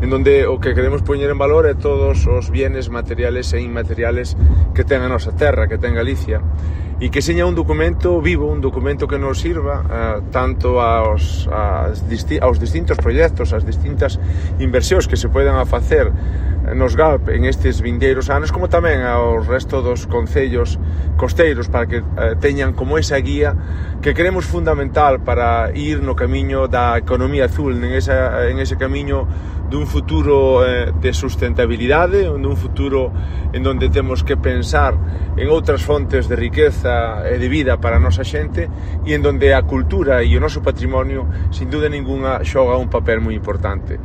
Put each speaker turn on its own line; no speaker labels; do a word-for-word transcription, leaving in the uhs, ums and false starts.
en donde o que queremos poñer en valor é todos os bienes materiales e inmateriales que ten a nosa terra, que ten Galicia, e que seña un documento vivo, un documento que nos sirva uh, tanto aos, aos, disti aos distintos proxectos, as distintas inversións que se poden a facer nos G A P en estes vindeiros anos, como tamén ao resto dos concellos costeiros, para que uh, teñan como esa guía que creemos fundamental para ir no camiño da economía azul, en, esa, en ese camiño dun futuro eh, de sustentabilidade, dun futuro en donde temos que pensar en outras fontes de riqueza e de vida para a nosa xente, e en donde a cultura e o noso patrimonio, sin duda ninguna, xoga un papel moi importante.